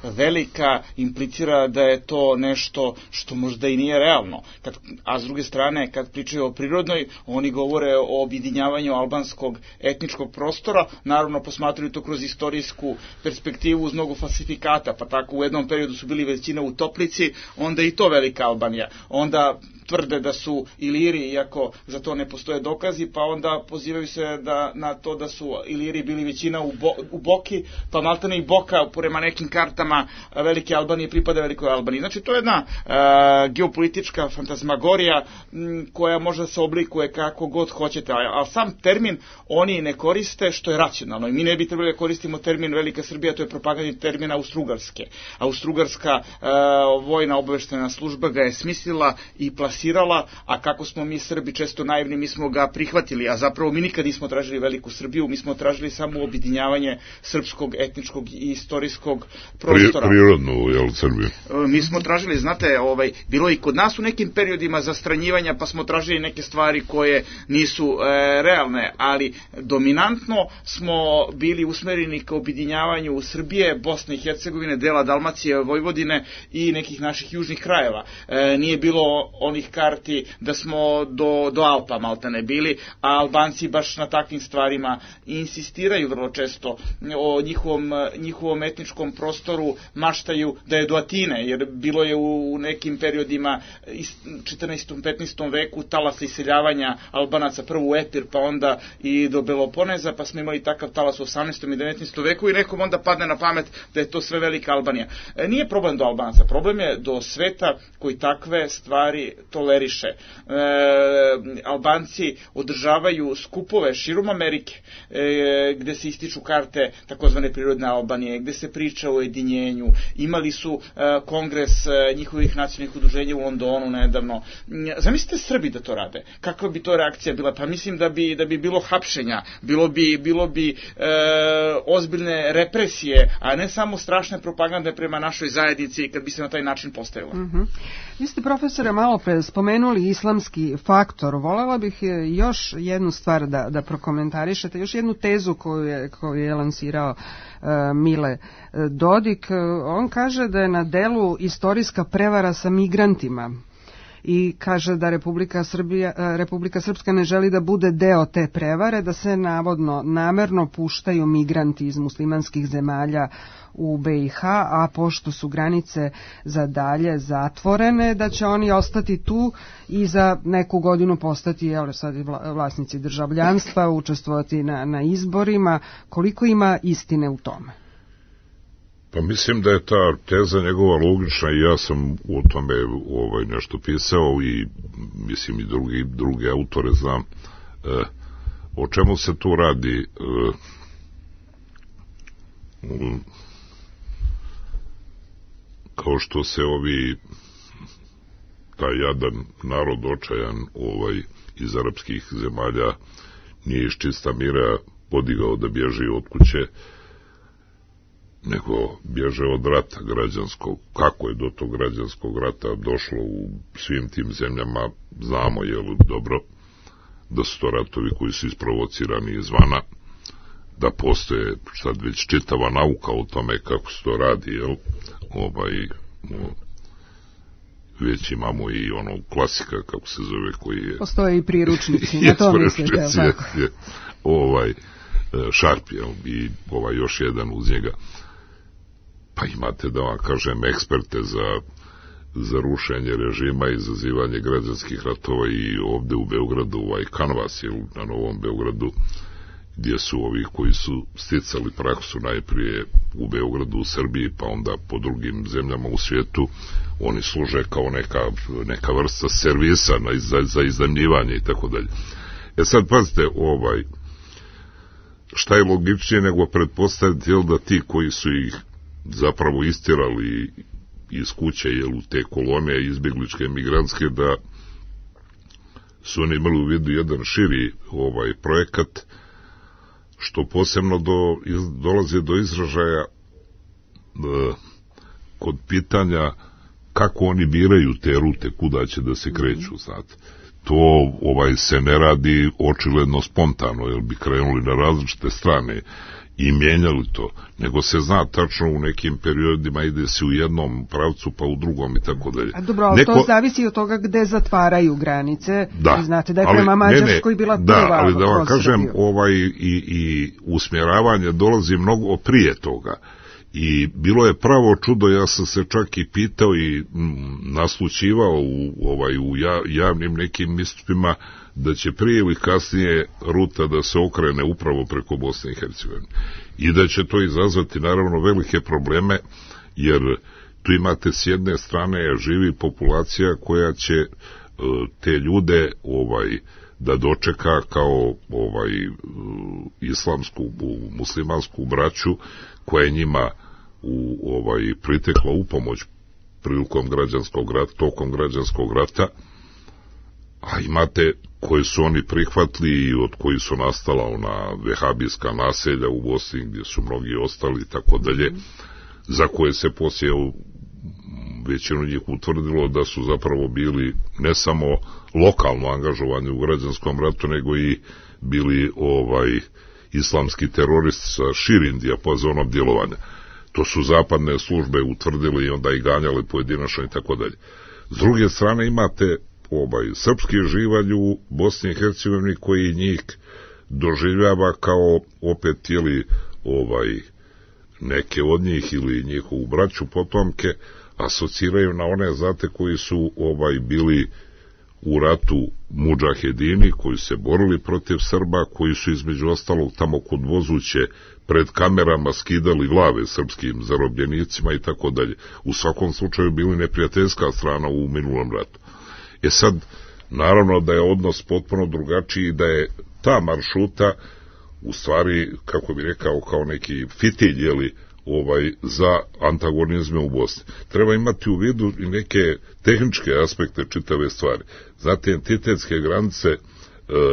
velika implicira da je to nešto što možda i nije realno. Kad, a s druge strane, kad pričaju o prirodnoj, oni govore o objedinjavanju albanskog etničkog prostora, naravno posmatraju to kroz istorijsku perspektivu uz mnogo falsifikata, pa tako u jednom periodu su bili većina u Toplici, onda i to Velika Albanija. Onda tvrde da su Iliri, iako za to ne postoje dokazi, pa onda pozivaju se da, na to da su Iliri bili većina u, Bo, u Boki, pa maltene i Boka, prema nekim kartama Velike Albanije pripada Velikoj Albaniji. Znači, to je jedna uh, geopolitička fantazmagorija m, koja može da se oblikuje kako god hoćete, ali sam termin oni ne koriste, što je racionalno. I mi ne bi trebali da koristimo termin Velika Srbija, to je propagandni termin Austrougarske. Austrougarska uh, vojna obaveštajna služba ga je smislila i plasirala forsirala, a kako smo mi Srbi često naivni, mi smo ga prihvatili, a zapravo mi nikad nismo tražili veliku Srbiju, mi smo tražili samo objedinjavanje srpskog, etničkog i istorijskog prostora. Pri, prirodnu, jel, Srbiju? Mi smo tražili, znate, ovaj, bilo i kod nas u nekim periodima zastranjivanja, pa smo tražili neke stvari koje nisu e, realne, ali dominantno smo bili usmereni ka objedinjavanju Srbije, Bosne i Hercegovine, dela Dalmacije, Vojvodine i nekih naših južnih krajeva. E, nije bilo onih karti da smo do, do Alpa maltene bili, a Albanci baš na takvim stvarima insistiraju vrlo često o njihovom, njihovom etničkom prostoru, maštaju da je do Atine, jer bilo je u nekim periodima četrnaestom petnaestom veku talas iseljavanja Albanaca, prvo u Epir, pa onda i do Beloponeza, pa smo imali takav talas u osamnaestom i devetnaestom veku i nekom onda padne na pamet da je to sve velika Albanija. E, nije problem do Albanaca, problem je do sveta koji takve stvari toleriše. E, Albanci održavaju skupove širom Amerike, e, gde se ističu karte takozvane prirodne Albanije, gde se priča o jedinjenju. Imali su e, kongres e, njihovih nacionalnih udruženja u Londonu nedavno. Zamislite Srbi da to rade. Kakva bi to reakcija bila? Pa mislim da bi, da bi bilo hapšenja, bilo bi, bilo bi e, ozbiljne represije, a ne samo strašne propagande prema našoj zajednici kad bi se na taj način postavila. Mm-hmm. Vi ste, profesore, malo pre spomenuli islamski faktor. Volela bih još jednu stvar da, da prokomentarišete, još jednu tezu koju je, koju je lansirao uh, Mile Dodik. On kaže da je na delu istorijska prevara sa migrantima i kaže da Republika Srbija, Republika Srpska ne želi da bude deo te prevare, da se navodno namerno puštaju migranti iz muslimanskih zemalja u be i ha, a pošto su granice za dalje zatvorene, da će oni ostati tu i za neku godinu postati, evo sad vlasnici državljanstva, učestvovati na, na izborima. Koliko ima istine u tome? Pa mislim da je ta teza njegova logična i ja sam o tome ovaj, nešto pisao i mislim i drugi, drugi autore znam. E, o čemu se tu radi? E, um, kao što se ovi taj jadan narod očajan ovaj, iz arapskih zemalja nije iz čista mira podigao da bježi od kuće, nego bježe od rata građanskog. Kako je do tog građanskog rata došlo u svim tim zemljama, znamo, je li dobro, da su to ratovi koji su isprovocirani izvana, da postoje sad već čitava nauka o tome kako se to radi, jel? Ovaj, već imamo i ono klasika, kako se zove, koji je... Postoje i priručnici, na to mislite, je tako? Je, ovaj, Šarp, jel? I ovaj još jedan uz njega. Pa imate, da vam kažem, eksperte za, za rušenje režima i izazivanje građanskih ratova i ovde u Beogradu, ovaj Kanvas, jel, na Novom Beogradu, gdje su ovi koji su sticali praksu najprije u Beogradu, u Srbiji, pa onda po drugim zemljama u svijetu, oni služe kao neka, neka vrsta servisa na, za, za iznajmljivanje i tako dalje. E sad, pazite, ovaj, šta je logičnije nego pretpostaviti, jel, da ti koji su ih zapravo istirali iz kuće, jel, u te kolone izbjegličke migrantske, da su oni imali u vidu jedan širi ovaj projekat, što posebno do, iz, dolazi do izražaja e, kod pitanja kako oni biraju te rute, kuda će da se kreću, znate. To ovaj se ne radi očigledno spontano, jer bi krenuli na različite strane i mijenjali to, nego se zna tačno u nekim periodima ide se u jednom pravcu pa u drugom i tako dalje. A dobro, ali Neko... to zavisi od toga gde zatvaraju granice. Da, i znate da je prema Mađarskoj bila da, prva. Ali da vam kažem, ovaj, i, i usmjeravanje dolazi mnogo prije toga. I bilo je pravo čudo, ja sam se čak i pitao i m, naslućivao u, ovaj, u ja, javnim nekim istupima da će prije ili kasnije ruta da se okrene upravo preko Bosne i Hercegovine. I da će to izazvati naravno velike probleme, jer tu imate s jedne strane živi populacija koja će e, te ljude ovaj da dočeka kao ovaj islamsku, muslimansku braću koja je njima u ovaj pritekla u pomoć prilikom građanskog rata, tokom građanskog rata, a imate koje su oni prihvatili i od koji su nastala ona vehabijska naselja u Bosni gdje su mnogi ostali i tako dalje, za koje se poslije većinu njih utvrdilo da su zapravo bili ne samo lokalno angažovani u građanskom ratu, nego i bili ovaj islamski teroristi sa širim dijapazonom djelovanja. To su zapadne službe utvrdili i onda i ganjali pojedinačno i tako dalje. S druge strane imate ovaj srpski živalj u Bosni i Hercegovini koji njih doživljava kao opet tijeli ovaj neke od njih ili njihovu braću potomke asociraju na one znate koji su ovaj bili u ratu mudžahedini, koji se borili protiv Srba, koji su između ostalog tamo kod Vozuće pred kamerama skidali glave srpskim zarobljenicima i tako dalje. U svakom slučaju bili neprijateljska strana u minulom ratu. E sad, naravno da je odnos potpuno drugačiji, da je ta maršuta u stvari, kako bi rekao, kao neki fitilj, jeli, ovaj, za antagonizme u Bosni. Treba imati u vidu i neke tehničke aspekte čitave stvari. Znate, entitetske granice e,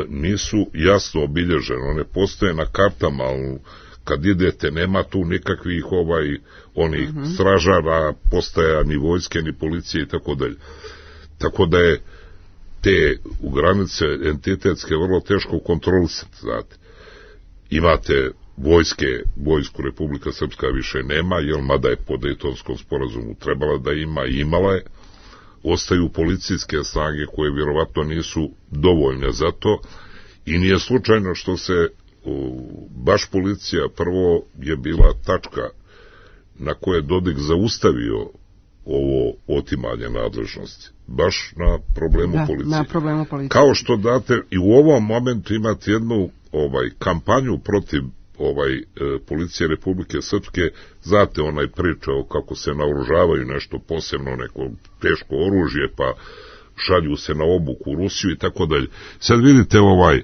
nisu jasno obilježene, one postoje na kartama, ali kad idete nema tu nikakvih ovaj, onih mm-hmm. stražara, postaja ni vojske, ni policije i tako dalje. Tako da je te u granice entitetske vrlo teško kontrolisati, znate. Imate vojske, vojsku Republika Srpska više nema, jer mada je po Dejtonskom sporazumu trebala da ima i imala je. Ostaju policijske snage koje vjerovatno nisu dovoljne za to i nije slučajno što se o, baš policija prvo je bila tačka na koje je Dodik zaustavio ovo otimanje nadležnosti. Baš na problemu da, policije. Na problemu policije. Kao što date i u ovom momentu imate jednu ovaj kampanju protiv ovaj e, policije Republike Srpske, znate onaj priča o kako se naoružavaju nešto posebno, neko teško oružje, pa šalju se na obuku u Rusiju i tako dalje. Sad vidite ovaj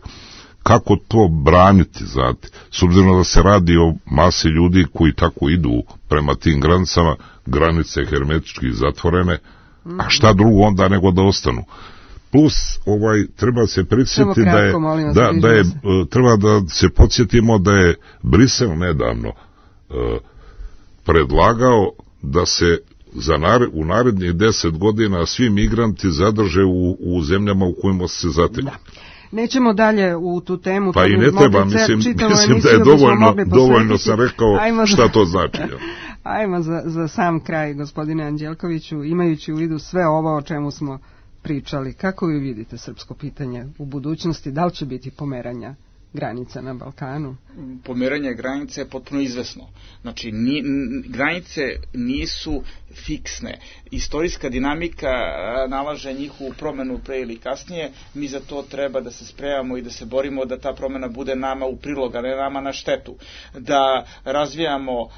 kako to braniti, znate, s obzirom da se radi o masi ljudi koji tako idu prema tim granicama, granice hermetički zatvorene, a šta drugo onda nego da ostanu. Plus, ovaj, treba se prisjetiti da je, da, da je, treba da se podsjetimo da je Brisel nedavno uh, predlagao da se za nared, u narednih deset godina svi migranti zadrže u, u zemljama u kojima se zateknu. Da. Nećemo dalje u tu temu. Pa i ne treba, mislim, mislim da je dovoljno, dovoljno sam rekao Ajmo šta to znači. Ja. Ajmo za, za sam kraj, gospodine Anđelkoviću, imajući u vidu sve ovo o čemu smo pričali. Kako vi vidite srpsko pitanje u budućnosti? Da li će biti pomeranja granica na Balkanu? Pomeranje granice je potpuno izvesno. Znači, ni, granice nisu fiksne. Istorijska dinamika nalaže njihovu promenu pre ili kasnije. Mi za to treba da se spremamo i da se borimo da ta promena bude nama u prilog, a ne nama na štetu. Da razvijamo uh,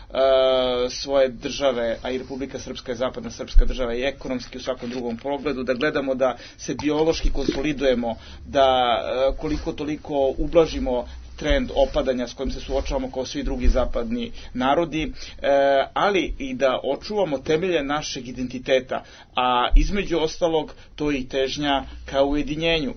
svoje države, a i Republika Srpska je zapadna srpska država i ekonomski u svakom drugom pogledu, da gledamo da se biološki konsolidujemo, da uh, koliko toliko ublažimo trend opadanja s kojim se suočavamo kao svi drugi zapadni narodi, e, ali i da očuvamo temelje našeg identiteta, a između ostalog to je i težnja ka ujedinjenju. E,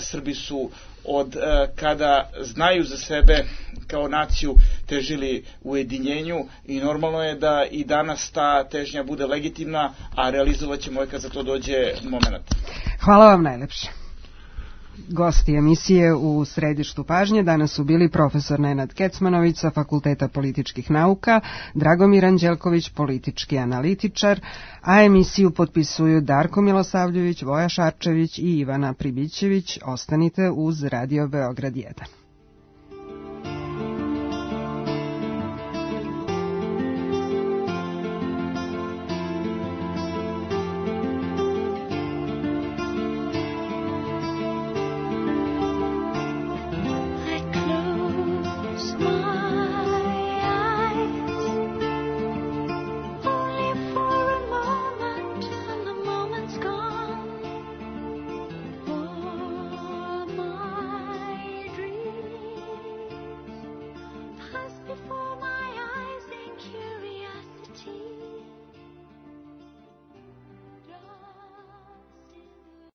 Srbi su od e, kada znaju za sebe kao naciju težili ujedinjenju i normalno je da i danas ta težnja bude legitimna, a realizovat ćemo je kad za to dođe moment. Hvala vam najlepše. Gosti emisije u središtu pažnje danas su bili profesor Nenad Kecmanović sa Fakulteta političkih nauka, Dragomir Anđelković, politički analitičar, a emisiju potpisuju Darko Milosavljević, Voja Šarčević i Ivana Pribićević. Ostanite uz Radio Beograd jedan. Smile.